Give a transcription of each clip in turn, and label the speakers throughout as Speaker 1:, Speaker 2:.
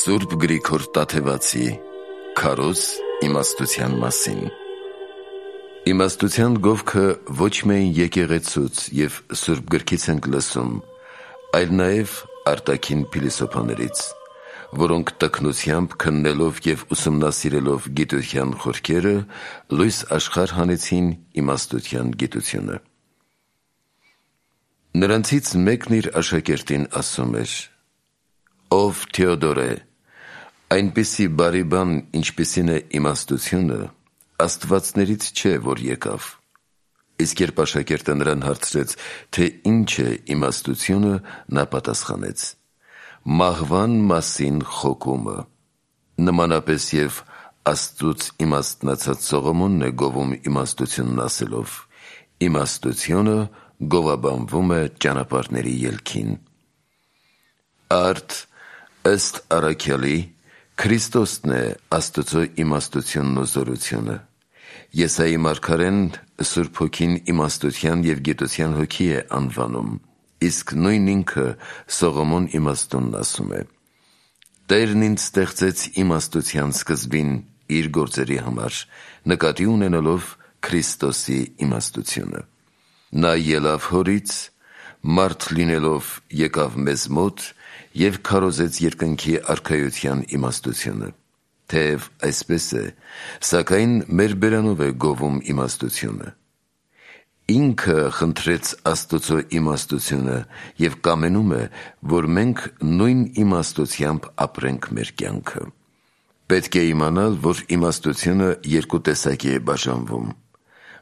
Speaker 1: Սուրբ Գրիգոր Տաթևացի Քարոզ իմաստության մասին։ Իմաստության գովքը ոչ միայն եկեղեցուց և Սուրբ Գրքից ենք լսում, այլ նաև արտաքին փիլիսոփաներից, որոնք տքնությամբ քննելով և ուսումնասիրելով գիտության խորքերը, լույս աշխարհ հանեցին իմաստության գիտությունը։ Նրանցից մեկն իր աշակերտին ասում էր. «Ով Թեոդոր է, այնպիսի բարի բան, ինչպիսին է իմաստությունը, աստվածներից չէ, որ եկավ»։ Իսկ երբ աշակերտը նրան հարցրեց, թե ինչ է իմաստությունը, նա պատասխանեց. «Մահվան մասին խոկումը»։ Նմանապես և Աստծուց իմաստնացած Սողոմոնն է գովում իմաստությունն ասելով. «Իմաստությունը գովաբանվում է ճանապարհների ելքին»։ Արդ, ըստ առաքյալի, Քրիստոսն է Աստծո իմաստությունն ու զորությունը։ Եսայի մարգարեն Սուրբ Հոգին իմաստության և գիտության հոգի է անվանում, իսկ նույն ինքը Սողոմոն իմաստունն ասում է. «Տերն ինձ ստեղծեց իմաստության սկզբին իր գործերի համար, նկատի ունենալով Քրիստոսի իմաստությունը։ Նա ելավ հորից, մարդ լինելով եկավ մեզ մոտ և քարոզեց երկնքի արքայության իմաստությունը։ Թեև այսպես է, սակայն մեր բերանով է գովում իմաստությունը։ Ինքը խնդրեց Աստծո իմաստությունը և կամենում է, որ մենք նույն իմաստությամբ ապրենք մեր կյանքը։ Պետք է իմանալ, որ իմաստությունը երկու տեսակի է բաժանվում.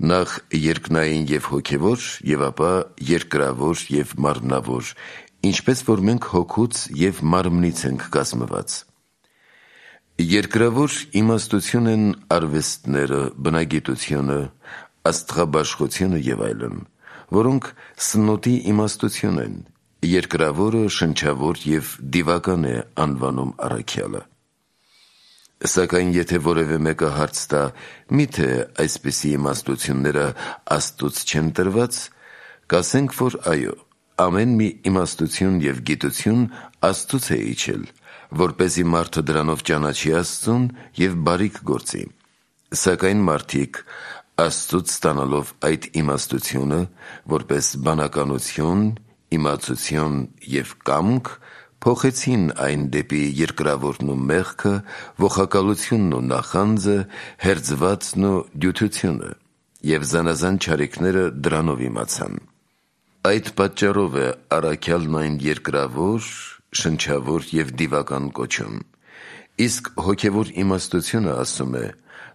Speaker 1: նախ երկնային և հոգևոր, և ապա երկրավոր և մարմնավոր, ինչպես որ մենք հոգուց և մարմնից ենք կազմված։ Երկրավոր իմաստություն են արվեստները, բնագիտությունը, աստղաբաշխությունը և այլն, որոնք սնոտի իմաստություն են, երկրավորը շնչավոր և դիվական է անվանում առաքյալը։ Սակայն եթե որևէ մեկը հարց տա, միթե այսպիսի իմաստությունները Աստծուց չեն տրված, կասենք, որ այո, ամեն մի իմաստություն և գիտություն Աստծուց է իջել, որպեսզի մարդը դրանով ճանաչի Աստծուն և բարիք գործի։ Սակայն մարդիկ, Աստծուց ստանալով այդ իմաստությունը, որպես բանականություն, իմացություն և կամք, փոխեցին այն դեպի երկրավորն ու մեղքը, ողակալությունն ու նախանձը, հերձվածն ու դյութությունը, և զանազան չարիքները դրանով իմացան։ Այդ պատճառով է առաքյալն այն երկրավոր, շնչավոր և դիվական կոչում։ Իսկ հոգևոր իմաստությունը, ասում է,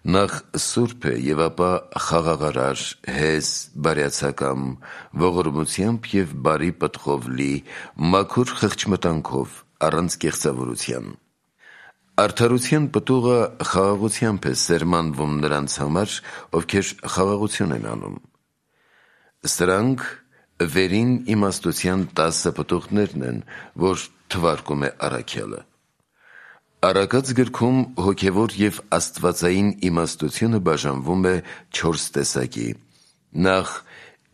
Speaker 1: նախ սուրբ է և ապա խաղաղարար, հեզ, բարյացակամ, ողորմությամբ և բարի պտղով լի, մաքուր խղճմտանքով, առանց կեղծավորության։ Արդարության պտուղը խաղաղությամբ է սերմանվում նրանց համար, ովքեր խաղաղություն են անում։ Սրանք վերին իմաստության 10 պտուղներն են, որ թվարկում է առաքյալը։ Առակաց գրքում հոգևոր և աստվածային իմաստությունը բաժանվում է 4 տեսակի. նախ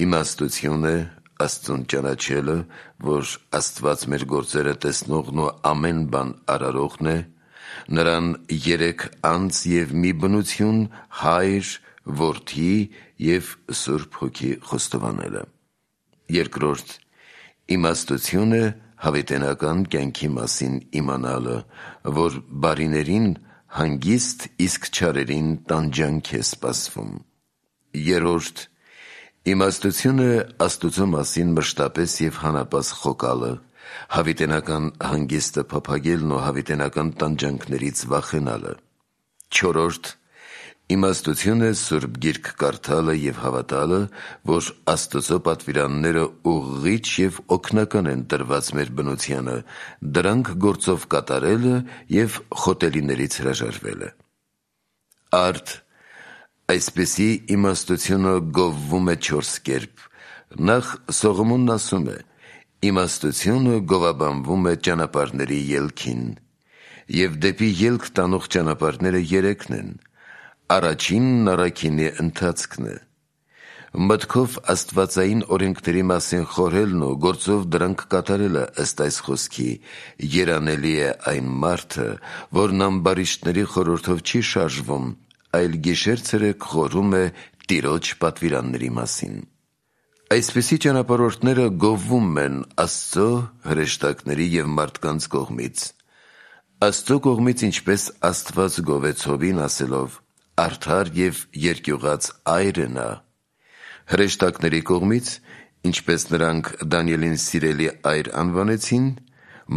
Speaker 1: իմաստություն է, Աստծուն ճանաչելը, որ Աստված մեր գործերը տեսնողն ու ամեն բան արարողն է, նրան 3 անձ և մի բնություն, Հայր, Որդի և Սուրբ Հոգի խոստովանելը։ Երկրորդ իմաստություն է հավիտենական կյանքի մասին իմանալը, որ բարիներին հանգիստ, իսկ չարերին տանջանք է սպասվում։ Երրորդ իմաստություն է Աստուծո մասին մշտապես և հանապազ խոկալը, հավիտենական հանգիստը փափագելն ու հավիտենական տանջանքներից վախենալը։ Չորրորդ իմաստություն է Սուրբ Գիրք կարդալը և հավատալը, որ Աստծո պատվիրանները ուղղիչ և օգնական են տրված մեր բնությանը, դրանք գործով կատարելը և խոտելիներից հրաժարվելը։ Արդ, այսպիսի իմաստությունը գովվում է 4 կերպ. նախ Սողոմոնն ասում է. «Իմաստությունը գովաբանվում է ճանապարհների ելքին», և դեպի ելք տանող ճանապարհները 3-ն են. առաջինն առաքինի ընթացքն է, Մտքով աստվածային օրենքների մասին խորհելն ու գործով դրանք կատարելը ըստ այս խոսքի երանելի է այն մարդը, որն ամբարիշտների խորհրդով չի շարժվում, այլ գիշեր-ցերեկ խորհում է Տիրոջ պատվիրանների մասին։ Այսպիսի ճանապարհորդները գովվում են Աստծո հրեշտակների և մարդկանց կողմից։ Աստծո կողմից ինչպես Աստված գովեց Հովին ասելով. «Արդար և երկյուղած այր է նա», հրեշտակների կողմից, ինչպես նրանք Դանիելին սիրելի այր անվանեցին,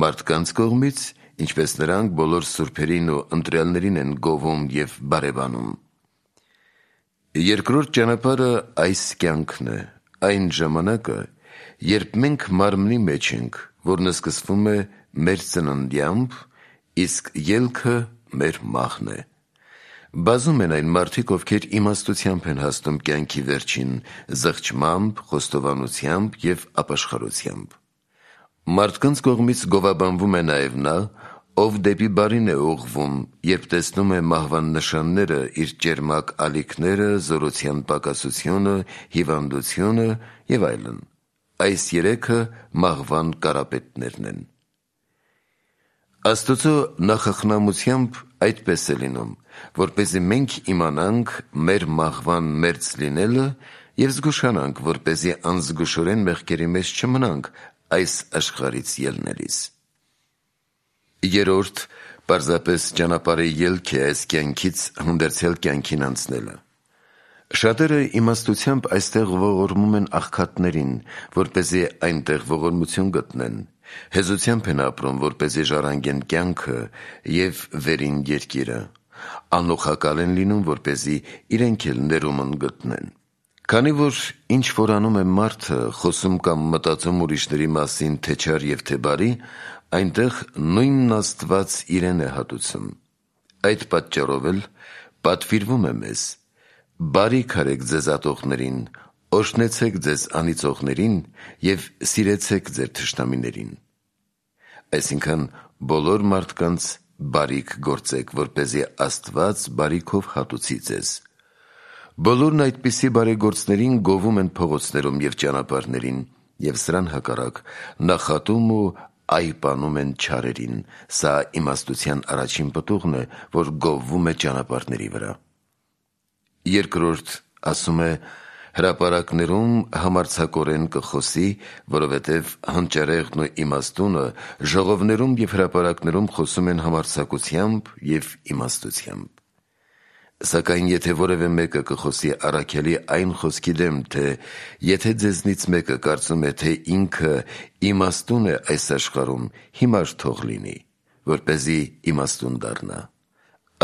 Speaker 1: մարդկանց կողմից, ինչպես նրանք բոլոր սուրբերին ու ընտրյալներին են գովում և բարևանում։ Երկրորդ ճանապարհը այս կյանքն է, այն ժամանակը, երբ մենք մարմնի մեջ ենք, որն սկսվում է մեր ծննդյամբ, իսկ ելքը մեր մահն է։ Բազում են այն մարդիկ, ովքեր իմաստությամբ են հասնում կյանքի վերջին զղջմամբ, խոստովանությամբ և ապաշխարությամբ։ Մարդկանց կողմից գովաբանվում է նաև նա, ով դեպի բարին է ուղղվում, երբ տեսնում է մահվան նշանները, իր ճերմակ ալիքները, զորության պակասությունը, հիվանդությունը և այլն։ Այս երեքը մահվան կարապետներն են։ Աստծո նախախնամությամբ այդպես է լինում, որպեսզի մենք իմանանք մեր մահվան մերձ լինելը և զգուշանանք, որպեսզի անզգուշորեն մեղքերի մեջ չմնանք այս աշխարհից ելնելիս։ Երրորդ, պարզապես ճանապարհի ելք է այս կյանքից հանդերձյալ կյանքին անցնելը։ Շատերը իմաստությամբ այստեղ ողորմում են աղքատներին, որպեսզի այնտեղ ողորմություն գտնեն, հեզությամբ են ապրում, որպեսզի ժառանգեն կյանքը և վերին երկիրը, անլուխակալ են լինում, որպեսզի իրենք էլ ներումն գտնեն։ Քանի որ ինչ որ անում է մարդը, խոսում կամ մտածում ուրիշների մասին թե չար և թե բարի, այնտեղ նույնն Աստված իրեն է հատուցում։ Այդ պատճառով էլ պատվիրվում է մեզ. «Բարիք արեք ձեզ ատողներին, օրհնեցեք ձեզ անիծողներին և սիրեցեք ձեր թշնամիներին»։ Այսինքն բոլոր մարդկանց բարիք գործեք, որպեսզի Աստված բարիքով հատուցի ձեզ։ Բոլորն այդպիսի բարեգործներին գովում են փողոցներում և ճանապարհներին, և սրան հակառակ նախատում ու այպանում են չարերին։ Սա իմաստության առաջին պտուղն է, որ գովվում է ճանապարհների վրա։ Երկրորդ ասում է. հրապարակներում համարձակորեն կխոսի, որովհետև հանճարեղն ու իմաստունը ժողովներում և հրապարակներում խոսում են համարձակությամբ և իմաստությամբ։ Սակայն եթե որևէ մեկը կխոսի առաքյալի այն խոսքի դեմ, թե եթե ձեզնից մեկը կարծում է, թե ինքը իմաստուն է այս աշխարհում, հիմար թող լինի, որպեսզի իմաստուն դառնա։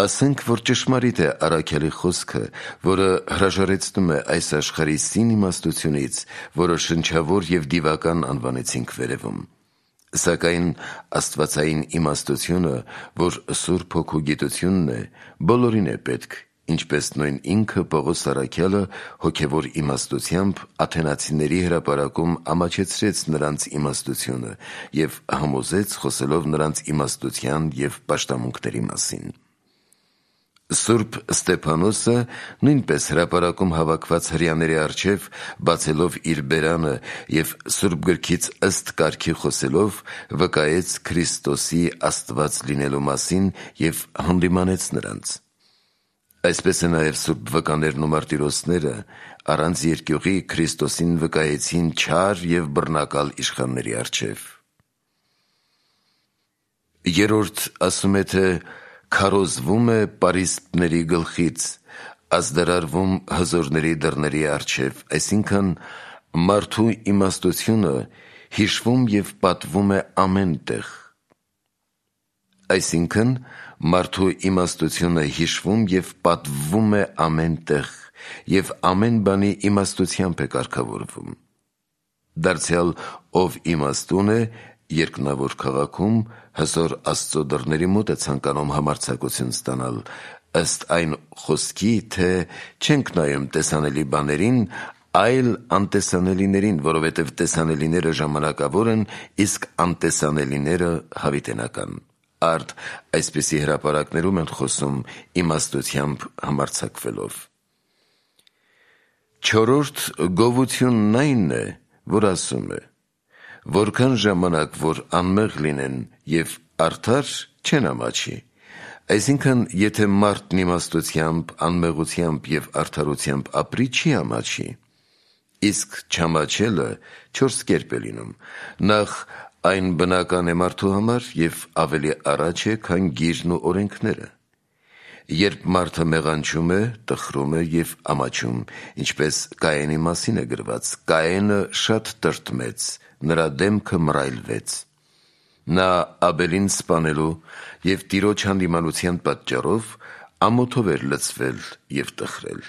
Speaker 1: Ասենք, որ ճշմարիտ է առաքյալի խոսքը, որը հրաժարեցնում է այս աշխարհի սին իմաստությունից, որը շնչավոր և դիվական անվանեցինք վերևում։ Սակայն աստվածային իմաստությունը, որ Սուրբ Հոգու գիտությունն է, բոլորին է պետք, ինչպես նույն ինքը Պողոս առաքյալը հոգևոր իմաստությամբ աթենացիների հրապարակում ամաչեցրեց նրանց իմաստությունը և համոզեց խոսելով նրանց իմաստության և պաշտամունքների մասին։ Սուրբ Ստեփանոսը նույնպես հրապարակում հավաքված հրեաների առջև, բացելով իր բերանը և Սուրբ Գրքից ըստ կարգի խոսելով, վկայեց Քրիստոսի Աստված լինելու մասին և հանդիմանեց նրանց։ Այսպես է նաև սուրբ վկաներն ու մարտիրոսները առանց երկյուղի Քրիստոսին վկայեցին չար և բռնակալ իշխանների առջև։ Երրորդ ասում է, թե քարոզվում է պարիսպների գլխից, ազդարարվում հզորների դռների առջև, այսինքն մարդու իմաստությունը հիշվում և պատվում է ամեն տեղ։ Այսինքն մարդու իմաստությունը հիշվում և պատվվում է ամեն տեղ և ամեն բանի իմաստությամբ է կարգավորվում։ Դարձյալ ով իմաստուն է, երկնավոր քաղաքում հզոր Աստծո դռների մոտ է ցանկանում համարձակություն ստանալ, ըստ այն խոսքի, թե չենք նայում տեսանելի բաներին, այլ անտեսանելիներին, որովհետև տեսանելիները ժամանակավոր են, իսկ անտեսանելիները հավիտենական։ Արդ այսպիսի հրապարակներում են խոսում իմաստությամբ համարձակվելով։ Չորրորդ գովությունն այն է, որ ասում է. որքան ժամանակ որ անմեղ լինեն և արդար չեն ամաչի, այսինքն եթե մարդն իմաստությամբ, անմեղությամբ և արդարությամբ ապրի չի ամաչի, իսկ չամաչելը չորս կերպ է լինում, նախ այն բնական է մարդու համար և ավելի առաջ է, քան գիրն ու օրենքները, երբ մարդը մեղանչում է, տխրում է և ամաչում, ինչպես Կայենի մասին է գրված. Կայենը շատ տրտմեց, նրա դեմքը մռայլվեց. նա Աբելին սպանելու և Տիրոջ հանդիմանության պատճառով ամոթով էր լցվել և տխրել,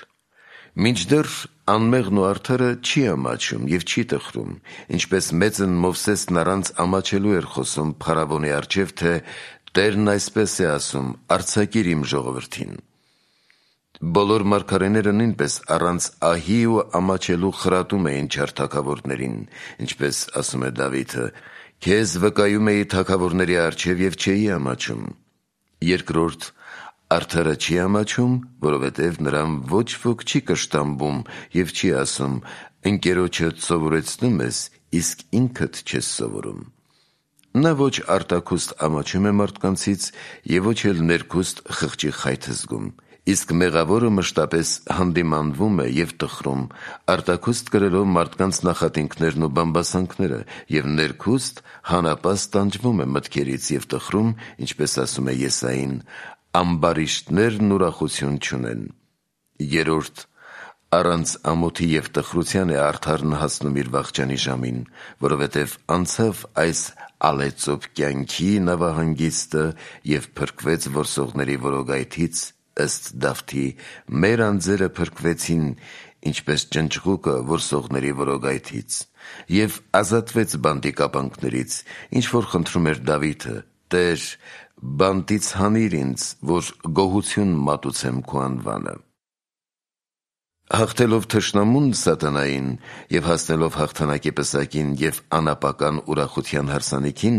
Speaker 1: մինչդեռ անմեղն ու արդարը չի ամաչում և չի տխրում, ինչպես մեծն Մովսեսն առանց ամաչելու էր խոսում փարավոնի առջև, թե Տերն այսպես է ասում. արձակիր իմ ժողովրդին: Բոլոր մարգարեները նույնպես առանց ահի ու ամաչելու խրատում էին չար թագավորներին, ինչպես ասում է Դավիթը. քեզ վկայում էի թագավորների առջև և չէի ամաչում: Երկրորդ, արդարը չի ամաչում, որովհետև նրան ոչ ոք չի կշտամբում և չի ասում. ընկերոջդ սովորեցնում ես, իսկ ինքդ չես սովորում: Նա ոչ արտաքուստ ամաչում է մարդկանցից և ոչ էլ ներքուստ խղճի խայթ զգում, իսկ մեղավորը մշտապես հանդիմանվում է և տխրում, արտաքուստ կրելով մարդկանց նախատինքներն ու բամբասանքները և ներքուստ հանապաստ տանջվում է մտքերից և տխրում, ինչպես ասում է Եսային. ամբարիշտներն ուրախություն չունեն: Երրորդ, առանց ամոթի և տխրության է արդարն հասնում իր վախճանի ժամին, որովհետև անցավ այս ալեծոպ կյանքի նավահանգիստը և փրկվեց որսողների որոգայթից, ըստ Դավթի. մեր անձերը փրկվեցին, ինչպես ճնճղուկը որսողների որոգայթից, և ազատվեց բանտի կապանքներից, ինչ որ խնդրում էր Դավիթը. Տեր, բանտից հանիր ինձ, որ գոհություն մատուցեմ քո անվանը: Հաղթելով թշնամուն սատանային և հասնելով հաղթանակի պսակին և անապական ուրախության հարսանիքին,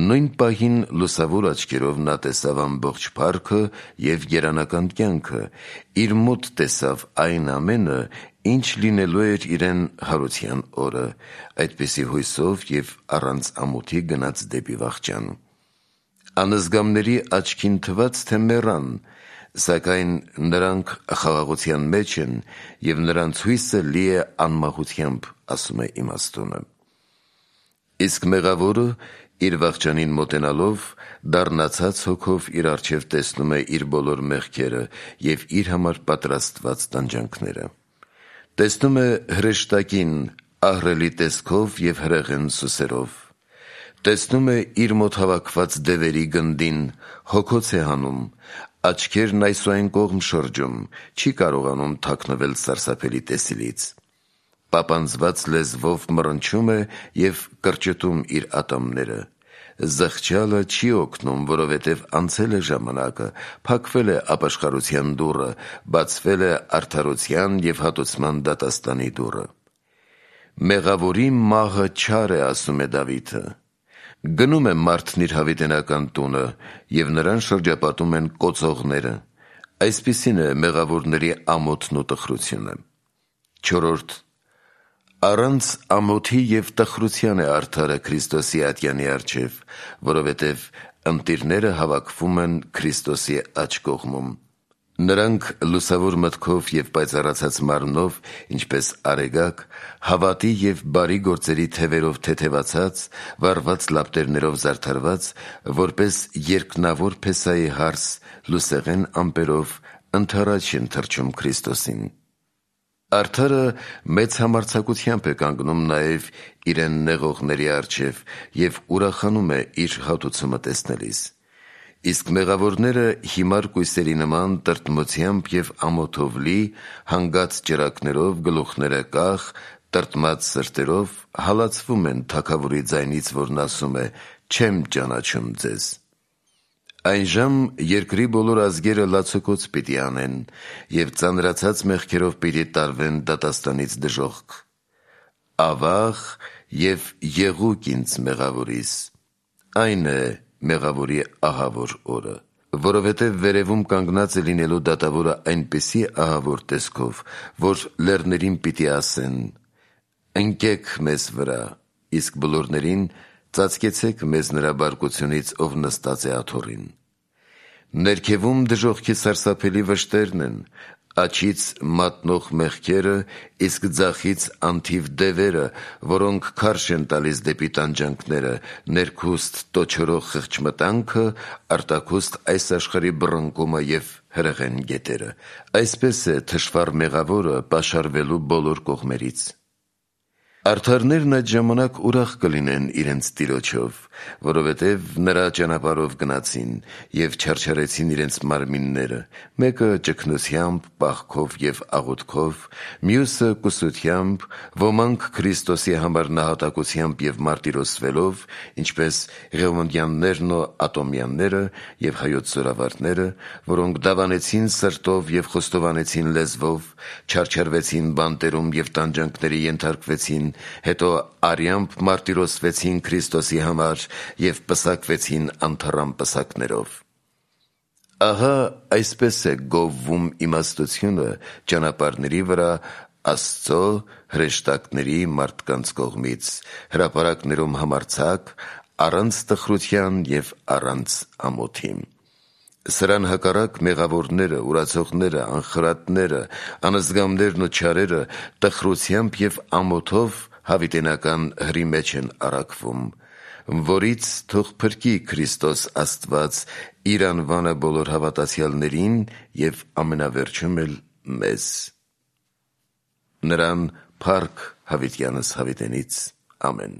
Speaker 1: նույն պահին լուսավոր աչքերով նա տեսավ ամբողջ փառքը և երանական կյանքը, իր մոտ տեսավ այն ամենը, ինչ լինելու էր իրեն հարության օրը, այդպիսի հույսով և առանց ամոթի գնաց դեպի վախճան: Անզգամների աչքին թվաց, թե մեռան, սակայն նրանք խաղաղության մեջ են և նրանց հույսը լի է անմահությամբ, ասում է իմաստունը: Իսկ մեղավորը իր վախճանին մոտենալով դառնացած հոգով իր առջև տեսնում է իր բոլոր մեղքերը և իր համար պատրաստված տանջանքները: Տեսնում է հրեշտակին ահռելի տեսքով և հրեղեն սուսերով: Տեսնում է իր մոտ հավաքված դևերի գնդին, հոգոց է հանում, աչքերն այս ու այն կողմ շրջում, չի կարողանում թաքնվել սարսափելի տեսիլից: Պապանձված լեզվով մռնչում է և կրճտում իր ատամները: Զղջալը չի օգնում, որովհետև անցել է ժամանակը, փակվել է ապաշխարության դուռը, բացվել է արդարության և հատուցման դատաստանի դուռը: Մեղավորի մահը չար է, ասում է Դավիթը: Գնում է մարդն իր հավիտենական տունը և նրան շրջապատում են կոծողները: Այսպիսին է մեղավորների ամոթն ու տխրությունը: Չորրորդ, առանց ամոթի և տխրության է արդարը Քրիստոսի ատյանի առջև, որովհետև ընտիրները հավաքվում են Քրիստոսի աջ կողմում: Նրանք լուսավոր մտքով և պայծառացած մարմնով, ինչպես արեգակ, հավատի և բարի գործերի թևերով թեթևացած, վառված լապտերներով զարդարված, որպես երկնավոր փեսայի հարս, լուսեղեն ամպերով ընդառաջ են թռչում Քրիստոսին: Արդարը մեծ համարձակությամբ է կանգնում նաև իրեն նեղողների առջև և ուրախանում է իր հատուցումը տեսնելիս: Իսկ մեղավորները հիմար կույսերի նման տրտմությամբ և ամոթով լի, հանգած ճրագներով, գլուխները կախ, տրտմած սրտերով հալածվում են թագավորի ձայնից, որն ասում է. չեմ ճանաչում ձեզ: Այնժամ երկրի բոլոր ազգերը լացոկոծ պիտի անեն և ծանրացած մեղքերով պիտի տարվեն դատաստանից դժոխք: Ավա՜ղ և եղո՛ւկ ինձ մեղավորիս: Այն է մեղավորի ահավոր օրը: որովհետև վերևում կանգնած է լինելու դատավորը այնպիսի ահավոր տեսքով, որ լեռներին պիտի ասեն. ընկեք մեզ վրա, իսկ բոլորներին ծածկեցեք մեզ նրա բարկությունից, ով նստած է աթոռին։ Ներքևում դժոխքի սարսափելի վշտերն են, աջից մատնող մեղքերը, իսկ ձախից անթիվ դևերը, որոնք քարշ են տալիս դեպի տանջանքները, ներքուստ տոչորող խղճմտանքը, արտաքուստ այս աշխարհի բռնկումը և հրեղեն գետերը։ Այսպես է թշվառ մեղավորը պաշարվելու բոլոր կողմերից։ Արդարներն այդ ժամանակ ուրախ կլինեն իրենց Տիրոջով, որովհետև նրա ճանապարհով գնացին և չարչարեցին իրենց մարմինները, մեկը ճգնությամբ, պահքով և աղոթքով, մյուսը կուսությամբ, ոմանք Քրիստոսի համար նահատակությամբ և մարտիրոսվելով, ինչպես Ղևոնդյաններն ու Ատոմյանները և հայոց զորավարները, որոնք դավանեցին սրտով և խոստովանեցին լեզվով, չարչարվեցին բանտերում և տանջանքների ենթարկվեցին, հետո արյամբ մարտիրոսվեցին Քրիստոսի համար և պսակվեցին անթառամ պսակներով։ Ահա այսպես է գովվում իմաստությունը ճանապարհների վրա Աստծո հրեշտակների մարդկանց կողմից, հրապարակներում համարձակ, առանց տխրության և առանց ամոթի։ Սրան հակառակ մեղավորները, ուրացողները, անխրատները, անզգամներն ու չարերը տխրությամբ և ամոթով հավիտենական հրի մեջ են առաքվում, որից թող փրկի Քրիստոս Աստված իր անվանը բոլոր հավատացյալներին և ամենավերջում էլ մեզ։ Նրան փառք հավիտյանս հավիտենից։ Ամեն։